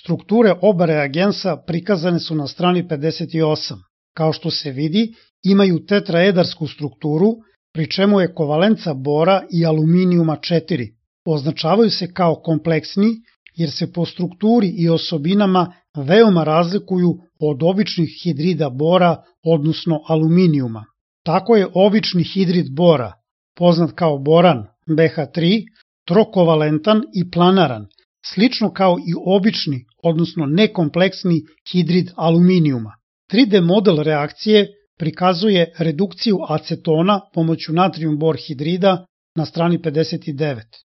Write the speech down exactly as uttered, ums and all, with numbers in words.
Strukture oba reagensa prikazane su na strani pedeset osam. Kao što se vidi, imaju tetraedarsku strukturu, pri čemu je kovalenca bora i aluminijuma četiri. Označavaju se kao kompleksni jer se po strukturi i osobinama veoma razlikuju od običnih hidrida bora, odnosno aluminijuma. Tako je obični hidrid bora, poznat kao boran B H tri, trokovalentan i planaran, slično kao i obični, odnosno nekompleksni hidrid aluminijuma. tri D model reakcije prikazuje redukciju acetona pomoću natrijum bor hidrida na strani pedeset devet.